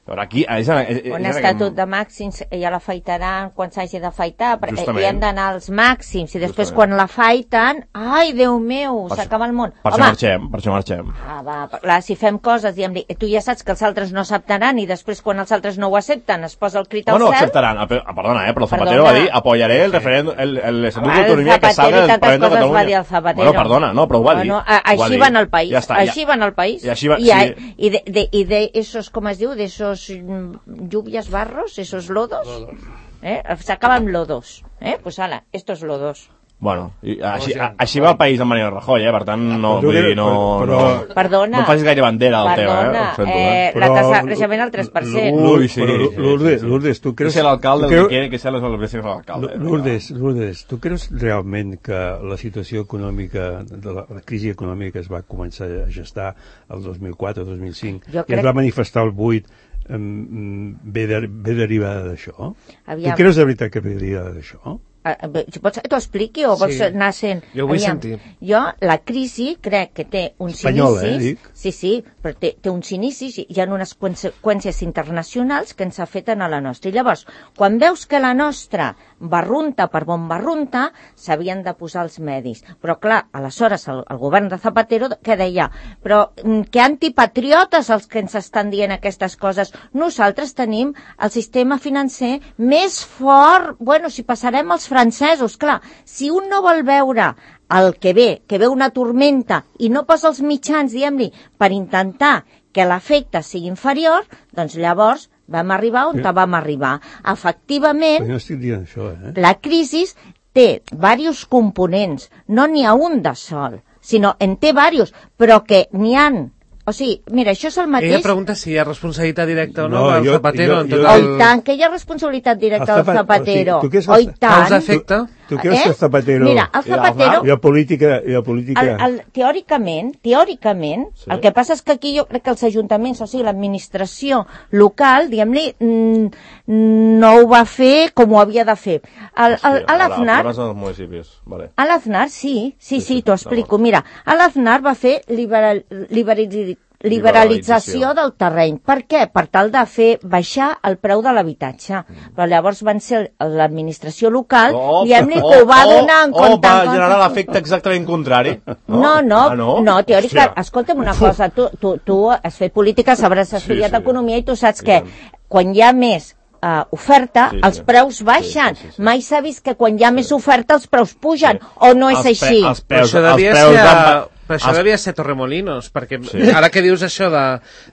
Però aquí, és, és, és, un estatut de màxims ja l'afeitaran quan s'hagi d'afaitar, perquè hi hem d'anar als màxims, i després justament, quan l'afaiten, ai, Déu meu, s'acaba el món. Per això marxem, per això marxem. Ah, va, clar, si fem coses, diguem, tu ja saps que els altres no acceptaran, i després quan els altres no ho accepten es posa el crit al cel. No, no acceptaran, ah, perdona, eh, però Zapatero va dir, apoyaré el referèndum, l'estatut d'autonomia que salga del Parlament de Catalunya. Va dir el Zapatero. Bueno, perdona, no, però ho va dir. Bueno, així van al país, així van al país. I de esos, com es diu, de esos lluvias, barros, esos lodos, ¿eh? Sacaban lodos, ¿eh? Pues ala, estos lodos. Bueno, i així, a, així va el país de Mariano Rajoy, eh? Per tant, no, vull dir, no, però, no, perdona, no facis gaire bandera al perdona, tema, eh? Sento, eh? eh la tasa de creixement al tres per cent. Ui, sí. Lourdes, Lourdes, tu creus... Que sea l'alcalde el que quiere que sean los vecinos de l'alcalde. Lourdes, Lourdes, tu creus realment que la situació econòmica, de la, la crisi econòmica es va començar a gestar el dos mil quatre, dos mil cinc, i es va manifestar el vuit, um, ve, de, ve derivada d'això? Tu creus de veritat que ve derivada d'això? Vols que t'ho expliqui o vols sí, anar sent... Jo vull Aviam, sentir. Jo, la crisi, crec que té uns Espanyola, inicis... Eh, dic. Sí, sí, però té, té uns inicis i hi ha unes conseqüències internacionals que ens afecten a la nostra. I llavors, quan veus que la nostra barrunta per bon barrunta, s'havien de posar els medis. Però, clar, aleshores, el, el govern de Zapatero, què deia? Però que antipatriotes els que ens estan dient aquestes coses. Nosaltres tenim el sistema financer més fort... Bueno, si passarem els francesos, clar, si un no vol veure el que ve, que ve una tormenta i no posa els mitjans, diguem-li, per intentar que l'efecte sigui inferior, doncs llavors vam arribar on Però, vam arribar. Efectivament, no estic dient això, eh? La crisi té diversos components, no n'hi ha un de sol, sinó en té diversos, però que n'hi han. O sigui, mira, això és el mateix... Ella pregunta si hi ha responsabilitat directa o no, no del jo, Zapatero. Jo, en jo, tot el... el... Oh, tant, que hi ha responsabilitat directa del Zapatero. O sigui, oh, tant. Causa efecte. Tu, tu creus eh? que el Zapatero... Mira, el Zapatero... Hi ha política... Hi ha política... El, el, teòricament, teòricament, sí. El que passa és que aquí jo crec que els ajuntaments, o sigui, l'administració local, diguem-li, no ho va fer com ho havia de fer. El, el, a l'Aznar... Vale. A l'Aznar, sí, sí, sí, sí t'ho explico. Mira, a l'Aznar va fer liberal, liberal, liberalització del terreny. Per què? Per tal de fer baixar el preu de l'habitatge. Mm. Però llavors van ser l'administració local oh, diguem-li oh, que ho va donar en oh, compte. Oh, va generar l'efecte exactament contrari. No, no, no, ah, no? no teòrica, escolta'm una cosa, tu, tu, tu has fet política, sabràs estudiat sí, sí. economia i tu saps sí, que sí. quan hi ha més Uh, oferta, sí, sí. els preus baixen. Sí, sí, sí. Mai s'ha vist que quan hi ha sí. més oferta els preus pugen, sí. o no és els així? Els preus, això devia ser, van... però això els... devia ser Torremolinos, perquè sí. ara que dius això de,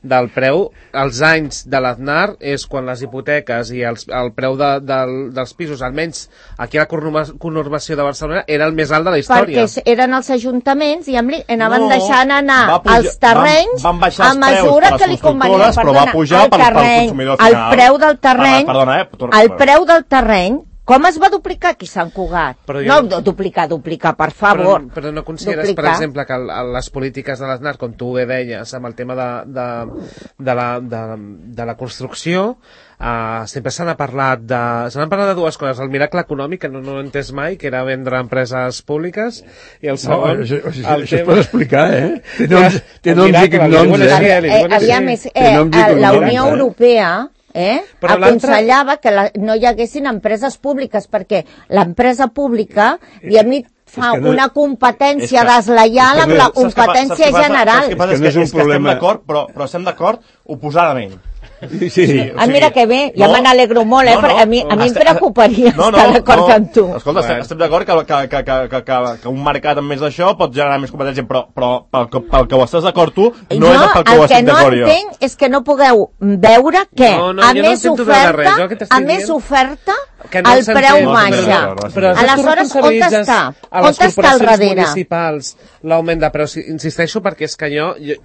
del preu, els anys de l'Aznar és quan les hipoteques i els, el preu de, de, dels pisos, almenys aquí a la conurbació de Barcelona, era el més alt de la història. Perquè eren els ajuntaments, diguem-li, anaven no, deixant anar pujar, els terrenys van, van a mesura que li convenia. Però va pujar el, terreny, pel el preu del terreny Perdona, eh? El preu del terreny, com es va duplicar aquí Sant Cugat? Jo... No, duplicar, duplicar, per favor. Però, però no consideres, duplicar. Per exemple, que el, les polítiques de l'Aznar, com tu bé deies, amb el tema de, de, de, la, de, de la construcció, uh, sempre se n'ha parlat de... Se n'han parlat de dues coses. El miracle econòmic, que no, no he entès mai, que era vendre empreses públiques, i el segon... No, això, això, el això tema... es pot explicar, eh? Té noms, té noms i cognoms, eh? eh? Aviam, és, eh, la Unió Europea... Eh? aconsellava que la, no hi haguessin empreses públiques perquè l'empresa pública diguem-li fa no... una competència que... deslleial amb no... la competència saps general. Saps què passa? És que no és un és que problema... estem d'acord, però, però estem d'acord oposadament. Sí, sí. Sí, Ah, mira que bé, ja no, me n'alegro molt, eh, no, no, perquè a mi, a mi em Estem- preocuparia no, no, estar d'acord no. amb tu. Escolta, estem, estem d'acord que, que, que, que, que, que, que un mercat amb més d'això pot generar més competència, però, però pel, que, pel que ho estàs d'acord tu, no jo, és pel que ho el que estic no d'acord jo. entenc és que no pugueu veure que No, no, a jo no més intento veure res, jo el que oferta, t'estic a més dient- oferta, Que no el s'entén. preu No s'entén, baixa. no s'entén. Però Aleshores, on està? A On les està el corporacions darrere? municipals l'augment de preus, insisteixo, perquè és que jo, jo,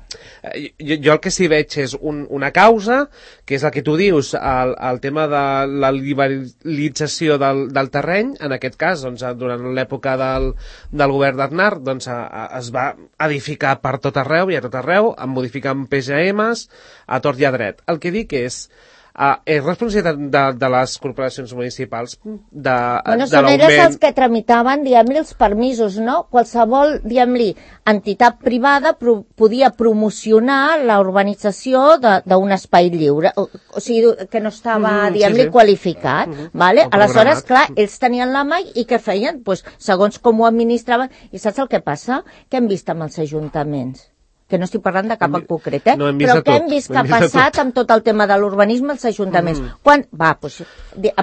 jo, jo el que sí veig és un, una causa, que és el que tu dius, el, el tema de la liberalització del, del terreny, en aquest cas, doncs, durant l'època del, del govern d'Aznar, doncs, a, a, es va edificar per tot arreu i a tot arreu, modificant P G Ms a tort i a dret. El que dic és, Uh, és responsabilitat de, de les corporacions municipals de, Bueno, de són elles l'augment. els que tramitaven, diguem-li, els permisos, no? Qualsevol, diguem-li, entitat privada pro podia promocionar la urbanització d'un espai lliure, o, o sigui, que no estava, Mm, diguem-li, sí, sí. qualificat, Mm -hmm. vale? O Aleshores, programat. clar, ells tenien la mà i què feien? Pues, segons com ho administraven. I saps el que passa? Què hem vist amb els ajuntaments? Que no estic parlant de cap en concret, eh? No hem vist però de què tot, hem vist no que ha hem vist de passat tot. amb tot el tema de l'urbanisme als ajuntaments? Mm. Quan... Va, doncs,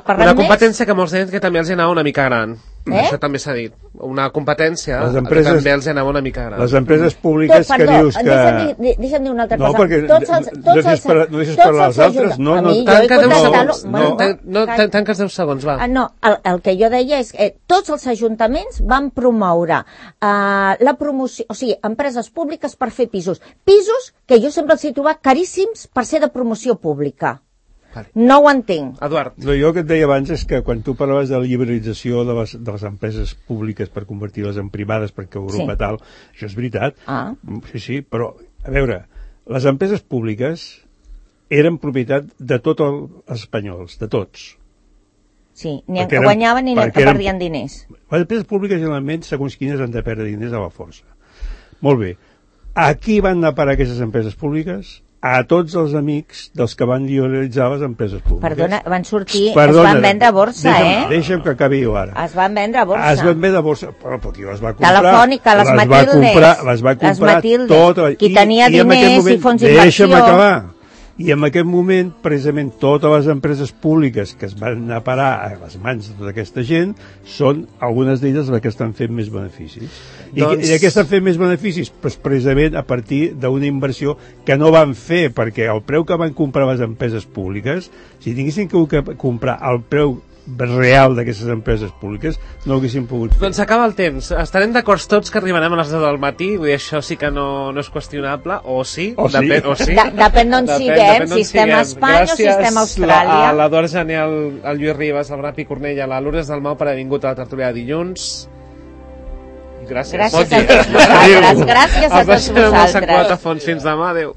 parlant Una més... competència que molts deien que també els anava una mica gran. Eh? Això també s'ha dit. Una competència Les que empreses- també els anava una mica gran. Les empreses públiques Tot, que perdó, dius que... deixa'm dir, deixa'm dir una altra No, cosa. perquè tots els, no tots deixis els, parlar- no deixis tots parlar els als altres, ajunta- no, a no, mi, jo he Tanca deu contestat-lo- segons. bueno, No, tan- no, calla. tan- tanques deu segons, va. Ah, no, el, el que jo deia és que tots els ajuntaments van promoure uh, la promoció, o sigui, empreses públiques per fer pisos. Pisos que jo sempre els he trobat caríssims per ser de promoció pública. Vale. No ho entenc. Eduard. No, jo el que et deia abans és que quan tu parlaves de la liberalització de les, de les empreses públiques per convertir-les en privades perquè Europa Sí. tal, això és veritat. Ah. Sí, sí, però, a veure, les empreses públiques eren propietat de tots els espanyols, de tots. Sí, ni en Perquè que eren- guanyaven ni en perquè que eren- perdien diners. Les empreses públiques, generalment, segons quines han de perdre diners a la força. Molt bé. A qui van anar a parar aquestes empreses públiques? A tots els amics dels que van liberalitzar les empreses públiques. Perdona, van sortir, Perdona, es van vendre a borsa, deixa'm, eh? Deixa'm que acabi jo ara. Es van vendre a borsa. Es van vendre a borsa, però, però qui les va comprar? Telefònica, les va Matildes. comprar, les va Les comprar Matildes. tota, Qui tenia en aquest diners i moment, fons deixa'm d'inversió. acabar. I en aquest moment, precisament, totes les empreses públiques que es van anar a parar a les mans de tota aquesta gent són algunes d'elles les que estan fent més beneficis. I, Doncs- I què estan fent més beneficis? Pues precisament a partir d'una inversió que no van fer, perquè el preu que van comprar les empreses públiques, si tinguessin que comprar el preu real d'aquestes empreses públiques, no ho haguessin pogut fer. Doncs s'acaba el temps. Estarem d'acord tots que arribarem a les deu del matí, vull dir, això sí que no, no és qüestionable, o sí, O sí. depèn, o sí. De- depèn d'on siguem, d'on si estem a siguem. Espanya o si estem a Austràlia. Gràcies a l'Eduard Jané, al, al Lluís Ribas, al Brapi Cornell, a la Lourdes Dalmau per haver vingut a la tertúlia de dilluns. Gràcies. Gràcies Bon a dia. tots vosaltres. Gràcies a Els tots deixem amb el Sant vosaltres. Cuatafons. Fins demà. Adéu.